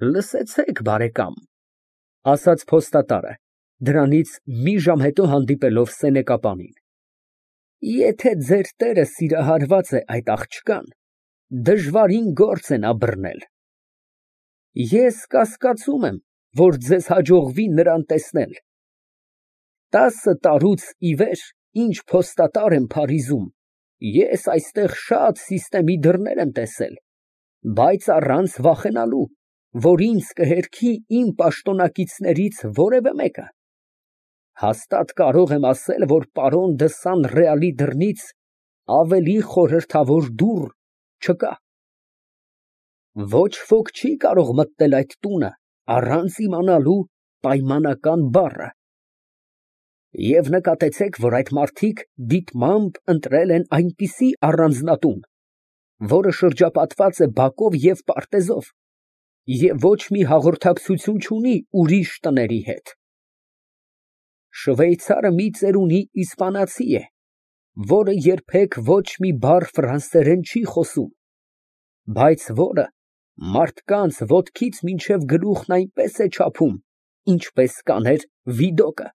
Լսեցեք, բարեկամ, ասաց փոստատարը, դրանից մի ժամ հետո հանդիպելով սենեկապանին, եթե ձեր տերը սիրահարված է այդ աղջկան, դժվարին գործ է նա բռնել։ Ես կասկածում եմ, որ ձեզ հաջողվի նրան տեսնել։ 10 տարուց ի վեր, ինչ փոստատար եմ Փարիզում, ես այստեղ շատ սիստեմի դռներ եմ տեսել, բայց առանց վախենալու, որ ինձ կհերքի իմ պաշտոնակիցներից որևէ մեկը։ Հաստատ կարող եմ ասել, որ պարոն դը Սան֊Ռեալի դռնից ավելի խորհրդավոր դուռ չկա։ Ոչ ոք չի կարող մտնել այդ տունը առանց իմանալու պայմանական բառը։ Եվ նկատեցեք, որ այդ մարդիկ դիտմամբ ընտրել են այնպիսի առանձնատուն, որը շրջապատված է բակով և պարտեզով, և ոչ մի հաղորդակցություն չունի ուրիշ տների հետ։ Շվեյցարը մի ծերունի իսպանացի է, որը երբեք ոչ մի բառ ֆրանսերեն չի խոսում, բայց որը մարդկանց ոտքից մինչև գլուխն այնպես է չափում, ինչպես կաներ Վիդոկը,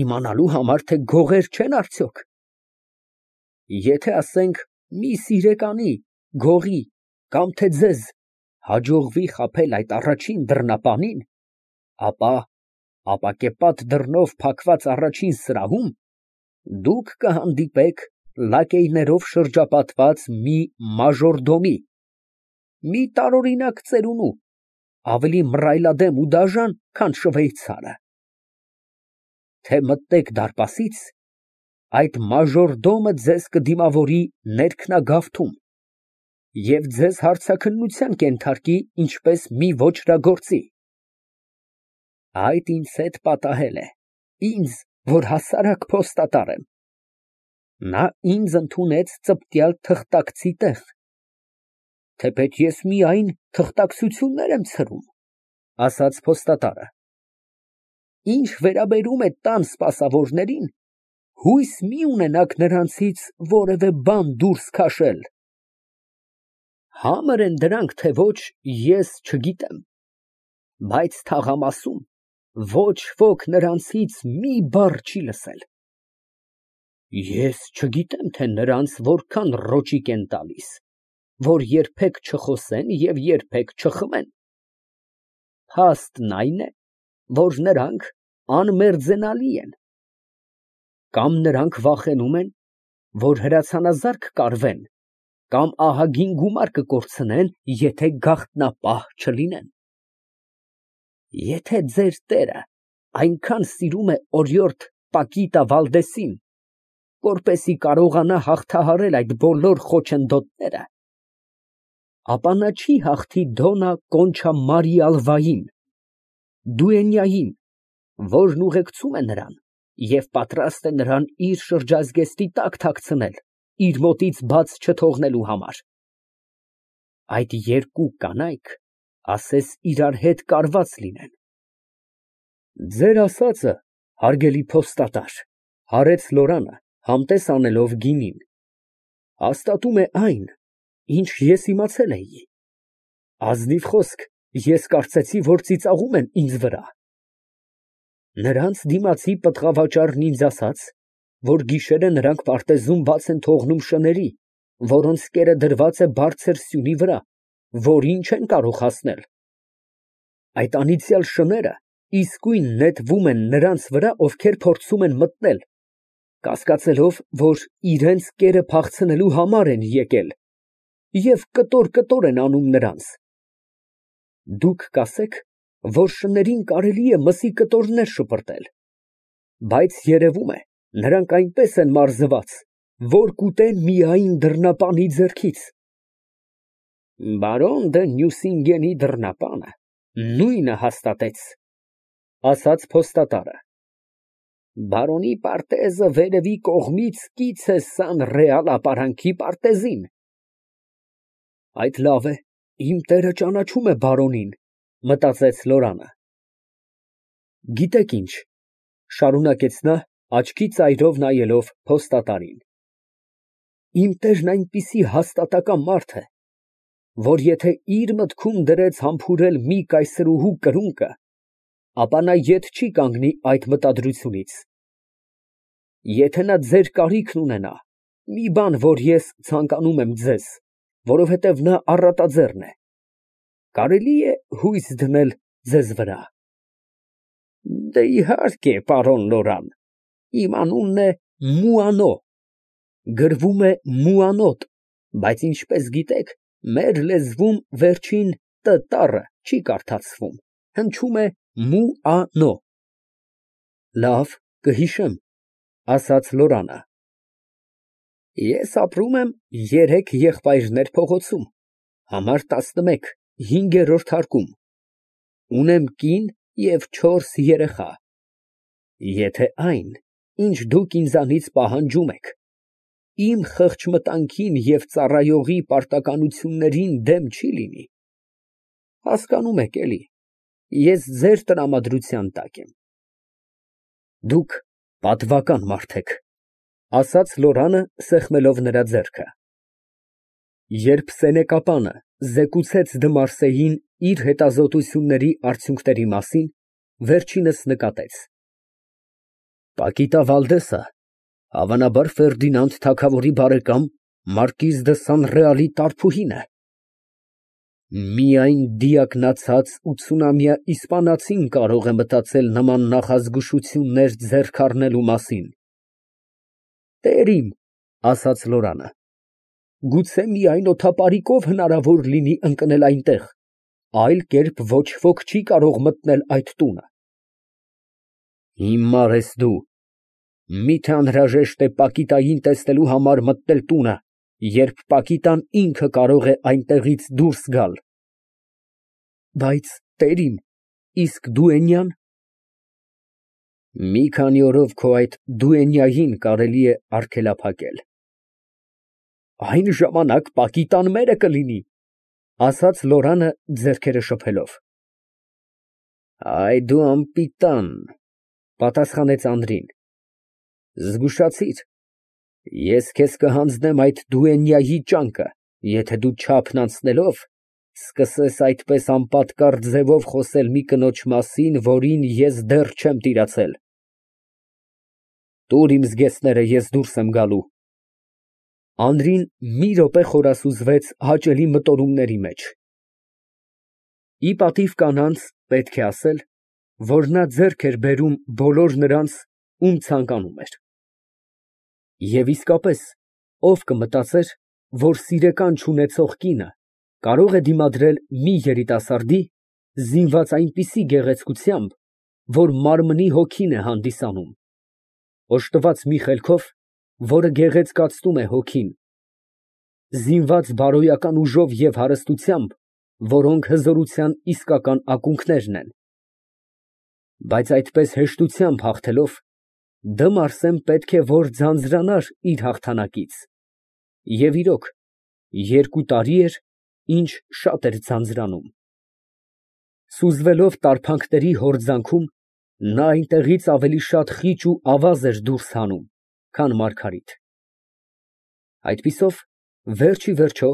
իմանալու համար, թե գողեր չեն արդյոք։ Եթե, ասենք, մի սիրեկանի, գողի կամ թե ձեզ հաջողվի խաբել այդ առաջին դռնապանին, ապա ապակեպատ դռնով փակված առաջին սրահում դուք կհանդիպեք լակեյներով շրջապատված մի մաժորդոմի, մի տարօրինակ ծերունու, ավելի մռայլադեմ ու դաժան, քան շվեյցարը։ Թե մտնեք դարպասից, այդ մաժորդոմը ձեզ կդիմավորի ներքնագավթում և ձեզ հարցաքննության կենթարկի ինչպես մի ոճրագործի։ Այդ ինձ հետ պատահել է, ինձ, որ հասարակ փոստատար եմ։ Նա ինձ ընդունեց ծպտյալ թղթակցի տեղ, թեպետ ես միայն թղթակցություններ եմ ցրում, ասաց փոստատարը։ Ինչ վերաբերում է տան սպասավորներին, հույս մի ունենաք նրանցից որևէ բան դուրս քաշել։ Համր են դրանք, թե ոչ, ես չգիտեմ, բայց թաղամասում ոչ ոք նրանցից մի բառ չի լսել։ Ես չգիտեմ, թե նրանց որքան ռոճիկ են տալիս, որ երբեք չխոսեն և երբեք չխմեն։ Փաստն այն է, որ նրանք անմերձենալի են։ Կամ նրանք վախենում են, որ հրացանազարկ կարվեն, կամ ահագին գումար կկորցնեն, եթե գաղտնապահ չլինեն։ Եթե ձեր տերը այնքան սիրում է օրիորդ Պակիտա Վալդեսին, որպեսզի կարողանա հաղթահարել այդ բոլոր խոչընդոտները, ապա նա չի հաղթի Դոննա Կոնչա Մարիա Ալվային, դուենյային, որն ուղեկցում է նրան և պատրաստ է նրան իր շրջազգեստի տակ թաքցնել, իր մոտից բաց չթողնելու համար։ Այդ երկու կանայք ասես իրար հետ կարված լինեն։ Ձեր ասածը, հարգելի փոստատար, հարեց Լորանը, համտես անելով գինին, հաստատում է այն, ինչ ես իմացել էի։ Ազնիվ խոսք, ես կարծեցի, որ ծիծաղում են ինձ վրա։ Նրանց դիմացի պտղավաճառն ինձ ասաց, որ գիշերը նրանք պարտեզում բաց են թողնում շների, որոնց կերը դրված է բարձր սյունի վրա, որին չեն կարող հասնել։ Այդ անիծյալ շները իսկույն նետվում են նրանց վրա, ովքեր փորձում են մտնել, կասկածելով, որ իրենց կերը փախցնելու համար են եկել, և կտոր են անում նրանց։ Դուք կասեք, որ շներին կարելի է մսի կտորներ շպրտել, բայց երևում է, նրանք այնպես են մարզված, որ կուտեն միայն դռնապանի ձեռքից։ Բարոն դը Նյուսինգենի դռնապանը նույնը հաստատեց, ասաց փոստատարը։ Բարոնի պարտեզը վերևի կողմից կից է Սան֊Ռեալ ապարանքի պարտեզին։ Այդ լավ է, իմ տերը ճանաչում է բարոնին, մտածեց Լորանը։ Գիտեք ինչ, շարունակեց նա, աչքի ծայրով նայելով փոստատարին, իմ տերն այնպիսի հաստատակամ մարդ է, որ եթե իր մտքում դրեց համբուրել մի կայսրուհու կրունկը, ապա նա ետ չի կանգնի այդ մտադրությունից։ Եթե նա ձեր կարիքն ունենա, մի բան, որ ես ցանկանում եմ ձեզ, որովհետև նա առատաձեռն է, կարելի է հույս դնել ձեզ վրա։ Դե իհարկե, պարոն Լորան, իմ անունն է Մուանո, գրվում է Մուանոտ, բայց ինչպես գիտեք, մեր լեզվում վերջին տ տառը չի կարդացվում, հնչում է Մուանո։ Լավ, կհիշեմ, ասաց Լորանը։ Ես ապրում եմ 3 եղբայրներ փողոցում, համար 11, 5-րդ հարկում, ունեմ կին և 4 երեխա։ Եթե այն, ինչ դուք ինձանից պահանջում եք, իմ խղճմտանքին և ծառայողի պարտականություններին դեմ չի լինի, հասկանում եք էլի, ես ձեր տրամադրության տակ եմ։ Դուք պատվական մարդ եք, ասաց Լորանը, սեղմելով նրա ձեռքը։ Երբ սենեկապանը զեկուցեց Դմարսեին իր հետազոտությունների արդյունքների մասին, վերջինս նկատեց. Պակիտա Վալդեսը, հավանաբար Ֆերդինանդ թագավորի բարեկամ մարկիզ դը Սանռեալի տարբուհին է։ Միայն դիակնացած 80-ամյա իսպանացին կարող է մտածել նման նախազգուշություններ ձեռք առնելու մասին։ Տերիմ, ասաց Լորանը, գուցե միայն օդապարիկով հնարավոր լինի ընկնել այնտեղ, այլ կերպ ոչ ոք չի կարող մտնել այդ տունը։ Հիմար ես դու, միթե անհրաժեշտ է Պակիտային տեսնելու համար մտնել տունը, երբ Պակիտան ինքը կարող է այնտեղից դուրս գալ։ Բայց, տերիմ, իսկ դուենյան։ Մի քանի օրով քո այդ դուենյային կարելի է արգելափակել։ Այն ժամանակ Պակիտան մերը կլինի, ասաց Լորանը ձեռքերը շփելով։ Այ դու անպիտան, պատասխանեց Անդրին, զգուշացիր, ես քեզ կհանձնեմ այդ դուենյայի ճանկը, եթե դու չափն անցնելով սկսես այդպես անպատկառ ձևով խոսել մի կնոջ մասին, որին ես դեռ չեմ տիրացել։ Տուր իմ զգեստները, ես դուրս եմ գալու։ Անդրին մի րոպե խորասուզվեց հաճելի մտորումների մեջ։ Ի պատիվ կանանց պետք է ասել, որ նա ձեռք էր բերում բոլոր նրանց, ում ցանկանում էր։ Եվ իսկապես, ով կմտածեր, որ սիրեկան չունեցող կինը կարող է դիմադրել մի երիտասարդի, զինված այնպիսի գեղեցկությամբ, որ մարմնի հոգին է հանդիսանում, օժտված մի խելքով, որը գեղեցկացնում է հոգին, զինված բարոյական ուժով և հարստությամբ, որոնք հզորության իսկական ակունքներն են։ Բայց այդպես հեշտությամբ հաղթելով, Դմարսեն պետք է որ ձանձրանար իր հաղթանակից, և իրոք, 2 տարի էր, ինչ շատ էր ձանձրանում։ Սուզվելով տարփանքների հորձանքում, նա այնտեղից ավելի շատ խիճ ու ավազ էր դուրս հանում, քան Մարգարիտ։ Այդպիսով, վերջ ի վերջո,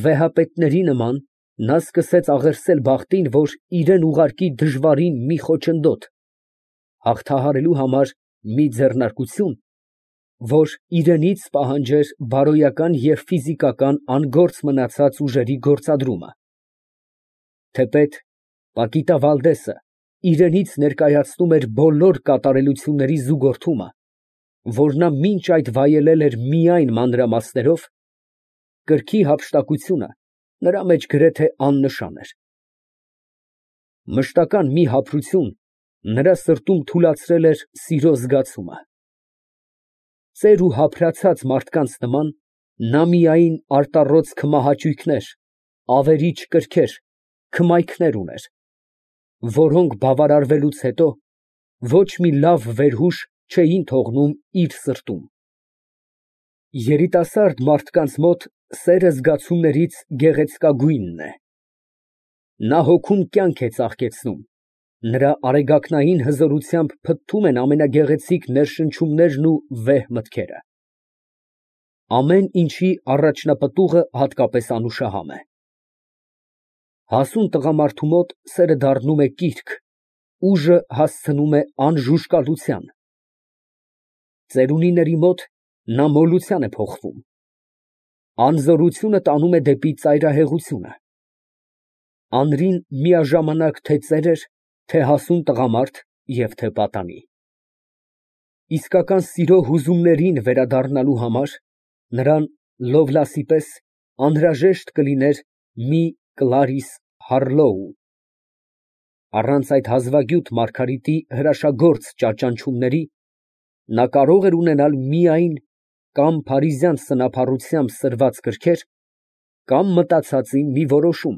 վեհապետների նման, նա սկսեց աղերսել բախտին, որ իրան ուղարկի դժվարին մի խոչընդոտ, հաղթահարելու համար մի ձեռնարկություն, որ իրենից պահանջեր բարոյական և ֆիզիկական անգործ մնացած ուժերի գործադրումը։ Թեպետ Պակիտա Վալդեսը իրենից ներկայացնում էր բոլոր կատարելությունների զուգորդումը, որ նա մինչ այդ վայելել էր միայն մանրամասներով, կրքի հափշտակությունը նրա մեջ գրեթե աննշան էր։ Մշտական մի հափրություն նրա սրտում թուլացրել էր սիրո զգացումը։ Ծեր ու հափրացած մարդկանց նման, նա միայն արտառոց քմահաճույքներ, ավերիչ կրքեր, քմայքներ ուներ, որոնք բավարարվելուց հետո ոչ մի լավ վերհուշ չէին թողնում իր սրտում։ Երիտասարդ մարդկանց մոտ սերը զգացումներից գեղեցկագույնն է։ Նա հոգում կյանք է ծաղկեցնում, նրա արեգակնային հզորությամբ փթթում են ամենագեղեցիկ ներշնչումներն ու վեհ մտքերը։ Ամեն ինչի առաջնապտուղը հատկապես անուշահամ է։ Հասուն տղամարդու մոտ սերը դառնում է կիրք, ուժը հասցնում է անժուժկալության։ Ծերունիների մոտ նա մոլության է փոխվում։ Անզորությունը տանում է դեպի ծայրահեղությունը։ Անրին միաժամանակ թե ծեր էր, թե հասուն տղամարդ և թե պատանի։ Իսկական սիրո հուզումներին վերադառնալու համար նրան Լովլասի պես անհրաժեշտ կլիներ մի Կլարիս Հարլոու։ Առանց այդ հազվագյուտ Մարգարիտի հրաշագործ ճաճանչումների նա կարող էր ունենալ միայն կամ փարիզյան սնափառությամբ սրված գրքեր, կամ մտածածի մի որոշում,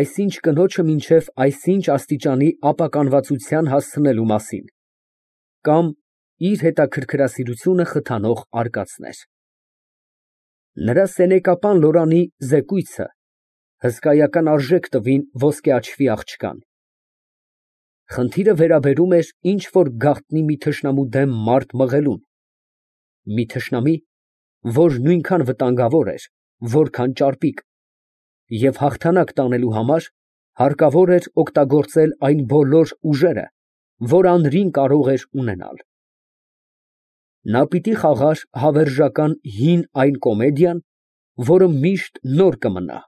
այսինչ կնոջը մինչև այսինչ աստիճանի ապականվածության հասցնելու մասին, կամ իր հետաքրքրասիրությունը խթանող արկածներ։ Նրա սենեկապան Լորանի զեկույցը հսկայական արժեք տվին ոսկե աչքի աղջկան։ Խնդիրը վերաբերում էր ինչ֊որ գաղտնի մի թշնամու դեմ մարդ մղելուն, մի թշնամի, որ նույնքան վտանգավոր էր, որքան ճարպիկ, և հաղթանակ տանելու համար հարկավոր էր օգտագործել այն բոլոր ուժերը, որ անրին կարող էր ունենալ։ Նա պիտի խաղար հավերժական հին այն կոմեդիան, որը միշտ նոր կմնա,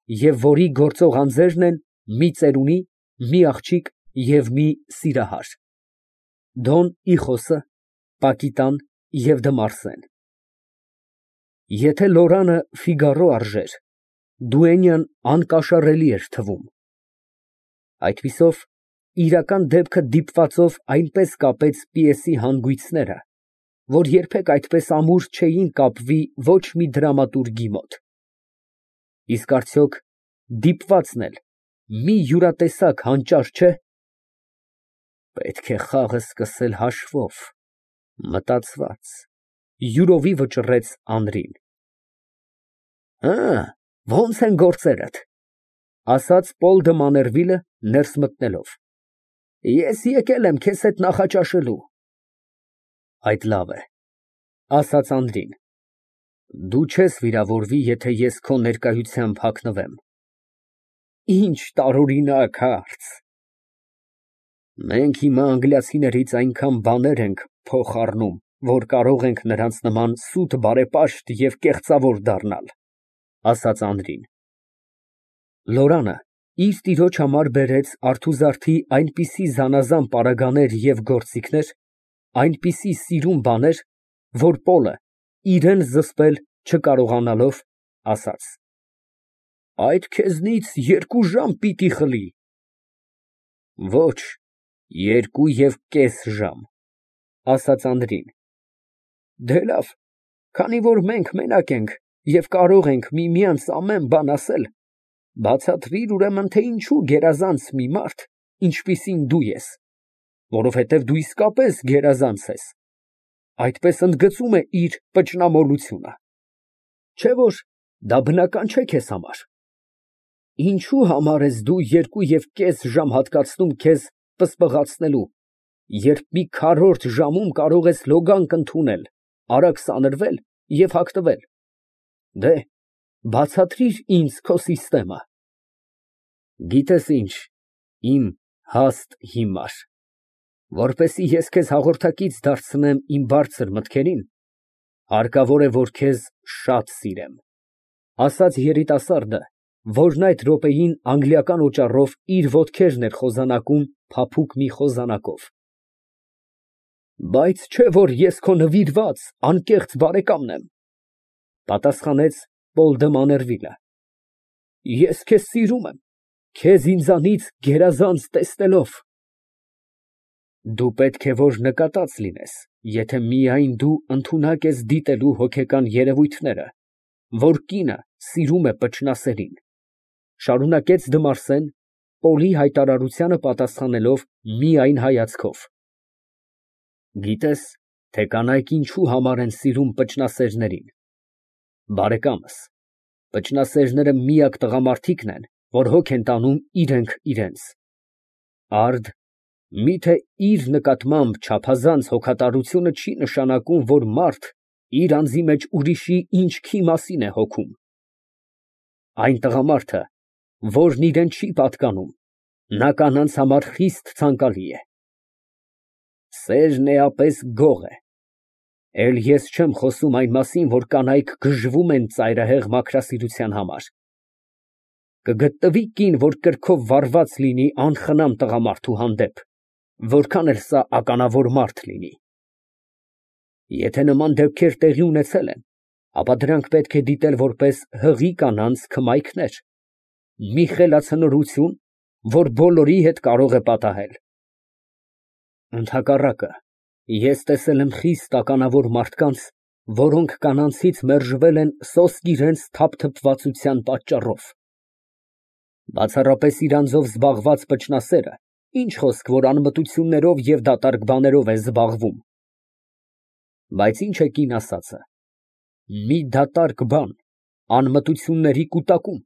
և որի գործող անձերն են մի ծերունի, մի աղջիկ և մի սիրահար, Դոն Իխոսը, Պակիտան և Դմարսեն։ Եթե Լորանը Ֆիգարո արժեր, Դուենյան անկաշառելի էր թվում։ Այդպիսով, իրական դեպքը դիպվածով այնպես կապեց պիեսի հանգույցները, որ երբեք այդպես ամուր չէին կապվի ոչ մի դրամատուրգի մոտ։ Իսկ արդյոք դիպվածն էլ մի յուրատեսակ հանճար չէ։ Պետք է խաղը սկսել հաշվով, մտածված, յուրովի վճռեց Անրին։ Ո՞նց են գործերդ, ասաց Պոլ դը Մաներվիլը ներս մտնելով։ Ես եկել եմ քեզ հետ նախաճաշելու։ Այդ լավ է, ասաց Անդրին։ Դու չես վիրավորվի, եթե ես քո ներկայությամբ հագնվեմ։ Ինչ տարօրինակ հարց։ Մենք հիմա անգլիացիներից այնքան բաներ ենք փոխ առնում, որ կարող ենք նրանց նման սուտ բարեպաշտ և կեղծավոր դառնալ, ասաց Անդրին։ Լորանը իր տիրոջ համար բերեց արթուզարդի այնպիսի զանազան պարագաներ և գործիքներ, այնպիսի սիրուն բաներ, որ Պոլը, իրան զսպել չկարողանալով, ասաց. Այդ քեզնից 2 ժամ պիտի խլի։ Ոչ, 2.5 ժամ, ասաց Անդրին։ Դե լավ, քանի որ մենք մենակ ենք և կարող ենք միմյանց ամեն բան ասել, բացատրիր ուրեմն, թե ինչու գերազանց մի մարդ, ինչպիսին դու ես, որովհետև դու իսկապես գերազանց ես, այդպես ընդգծում է իր պճնամոլությունը, չէ՞ որ դա բնական չէ քեզ համար։ Ինչու համար ես դու 2.5 ժամ հատկացնում քեզ պսպղացնելու, երբ մի քառորդ ժամում կարող ես լոգանք ընդունել, արագ սանրվել և հագնվել։ Դե, բացատրիր ինձ քո սիստեմը։ Գիտես ինչ, իմ հաստ հիմար, որպեսզի ես քեզ հաղորդակից դարձնեմ իմ բարձր մտքերին, հարկավոր է, որ քեզ շատ սիրեմ, ասաց երիտասարդը, որն այդ րոպեին անգլիական օճառով իր ոտքերն էր խոզանակում փափուկ մի խոզանակով։ Բայց չէ որ ես քո նվիրված, անկեղծ բարեկամն եմ, պատասխանեց Պոլ դը Մաներվիլը։ Ես քեզ սիրում եմ, քեզ ինձանից գերազանց տեսնելով։ Դու պետք է որ նկատած լինես, եթե միայն դու ընդունակ ես դիտելու հոգեկան երևույթները, որ կինը սիրում է պճնասերին, շարունակեց Դմարսեն, Պոլի հայտարարությանը պատասխանելով միայն հայացքով։ Գիտես, թե կանայք ինչու համար են սիրում պճնասերներին։ Բարեկամս, պճնասերները միակ տղամարդիկն են, որ հոգ են տանում իրենք իրենց։ Արդ, միթե իր նկատմամբ չափազանց հոգատարությունը չի նշանակում, որ մարդ իր անձի մեջ ուրիշի ինչքի մասին է հոգում։ Այն տղամարդը, որն իրան չի պատկանում, նա կանանց համար խիստ ցանկալի է։ Սերն էապես գող է։ Էլ ես չեմ խոսում այն մասին, որ կանայք գժվում են ծայրահեղ մաքրասիրության համար։ Կգտնվի կին, որ կրքով վարված լինի անխնամ տղամարդու հանդեպ, որքան էլ սա ականավոր մարդ լինի։ Եթե նման դեպքեր տեղի ունեցել են, ապա դրանք պետք է դիտել որպես հղի կանանց քմայքներ, մի խելացնորություն, որ բոլորի հետ կարող է պատահել։ Ընդհակառակը, ես տեսել եմ խիստ ականավոր մարդկանց, որոնք կանանցից մերժվել են սոսկ իրենց թափթփվածության պատճառով։ Բացառապես իր անձով զբաղված փչնասերը, ինչ խոսք, որ անմտություններով և դատարկ բաներով է զբաղվում։ Բայց ինչ է կին ասածը։ Մի դատարկ բան, անմտությունների կուտակում։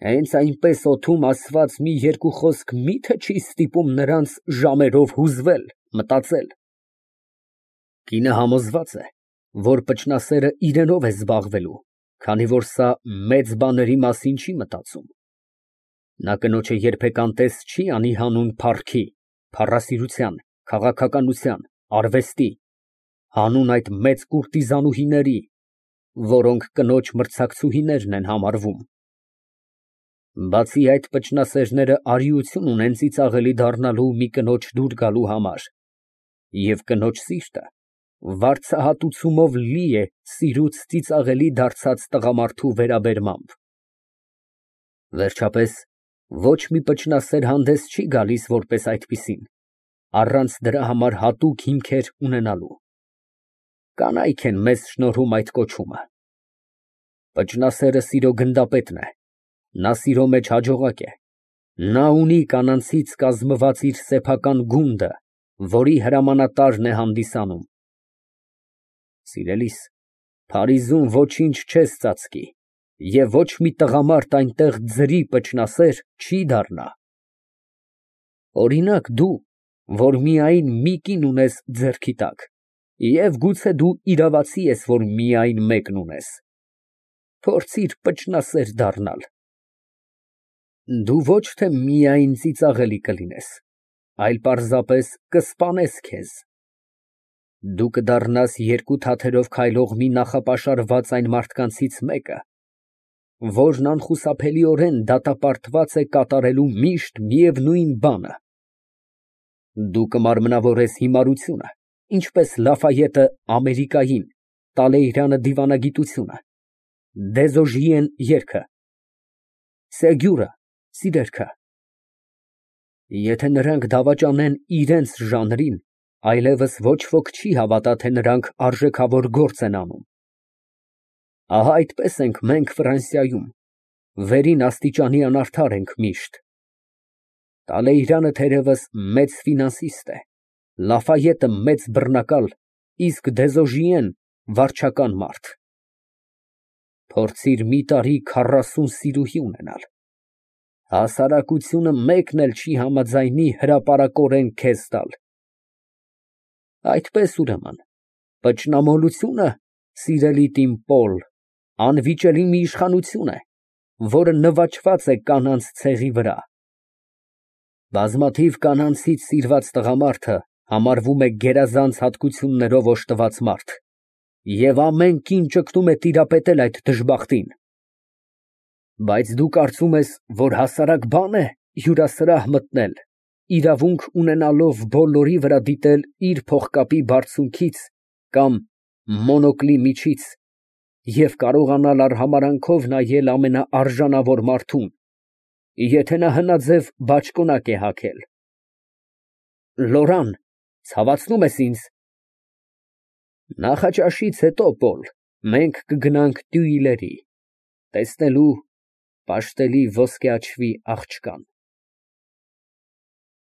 Հենց այնպես օդում ասված մի երկու խոսք մի՞թե չի ստիպում նրանց ժամերով հուզվել, մտածել։ Կինը համոզված է, որ փչնասերը իրենով է զբաղվելու, քանի որ սա մեծ բաների մասին չի մտածում։ Նա կնոջը երբեք անտես չի անի հանուն փառքի, փառասիրության, քաղաքականության, արվեստի, հանուն այդ մեծ կուրտիզանուհիների, որոնք կնոջ մրցակցուհիներն են համարվում։ Բացի այդ, փչնասերները արիություն ունեն ծիծաղելի դառնալու մի կնոջ դուր գալու համար, և կնոջ սիրտը վարձահատուցումով լի է սիրուց ծիծաղելի դարձած տղամարդու վերաբերմամբ։ Վերջապես, ոչ մի փչնասեր հանդես չի գալիս որպես այդպիսին, առանց դրա համար հատուկ հիմքեր ունենալու։ Կանայք են մեզ շնորհում այդ կոչումը։ Փչնասերը սիրո գնդապետն է, նա սիրո մեջ հաջողակ է, նա ունի կանանցից կազմված իր սեփական գունդը, որի հրամանատարն է հանդիսանում։ Սիրելիս, Փարիզում ոչինչ չես ծածկի, և ոչ մի տղամարդ այնտեղ ձրի փչնասեր չի դառնա։ Օրինակ դու, որ միայն մի կին ունես ձեռքի տակ, և գուցե դու իրավացի ես, որ միայն մեկն ունես, փորձիր փչնասեր դառնալ։ Դու ոչ թե միայն ծիծաղելի կլինես, այլ պարզապես կսպանես քեզ։ Դու կդառնաս երկու թաթերով քայլող մի նախապաշարված այն մարդկանցից մեկը, որն անխուսափելիորեն դատապարտված է կատարելու միշտ միևնույն բանը։ Դու կմարմնավորես հիմարությունը, ինչպես Լաֆայետը Ամերիկային, Տալեյրանը դիվանագիտությունը, Դեզոժիեն երգը, Սեգյուրը սիրերքը։ Եթե նրանք դավաճանեն իրենց ժանրին, այլևս ոչ ոք չի հավատա, թե նրանք արժեքավոր գործ են անում։ Ահա այդպես ենք մենք Ֆրանսիայում, վերին աստիճանի անարդար ենք միշտ։ Տալեյրանը թերևս մեծ ֆինանսիստ է, Լաֆայետը մեծ բռնակալ, իսկ Դեզոժիեն վարչական մարդ։ Փորձիր մի տարի 40 սիրուհի ունենալ, հասարակությունը մեկն էլ չի համաձայնի հրապարակորեն քեզ տալ։ Այդպես ուրեմն, փչնամոլությունը, սիրելի տին Պոլ, անվիճելի մի իշխանություն է, որը նվաճված է կանանց ցեղի վրա։ Բազմաթիվ կանանցից սիրված տղամարդը համարվում է գերազանց հատկություններով օժտված մարդ, և ամեն կին ճգնում է տիրապետել այդ դժբախտին։ Բայց դու կարծում ես, որ հասարակ բան է հյուրասրահ մտնել, իրավունք ունենալով բոլորի վրա դիտել իր փողկապի բարձունքից կամ մոնոկլի միջից և կարողանալ արհամարհանքով նայել ամենաարժանավոր մարդուն, եթե նա հնաձև բաճկոնակ է հագել։ Լորան, ցավացնում ես ինձ։ Նախաճաշից հետո, Պոլ, մենք կգնանք Տյուիլերի, տեսնելու պաշտելի ոսկեաչվի աղջկան։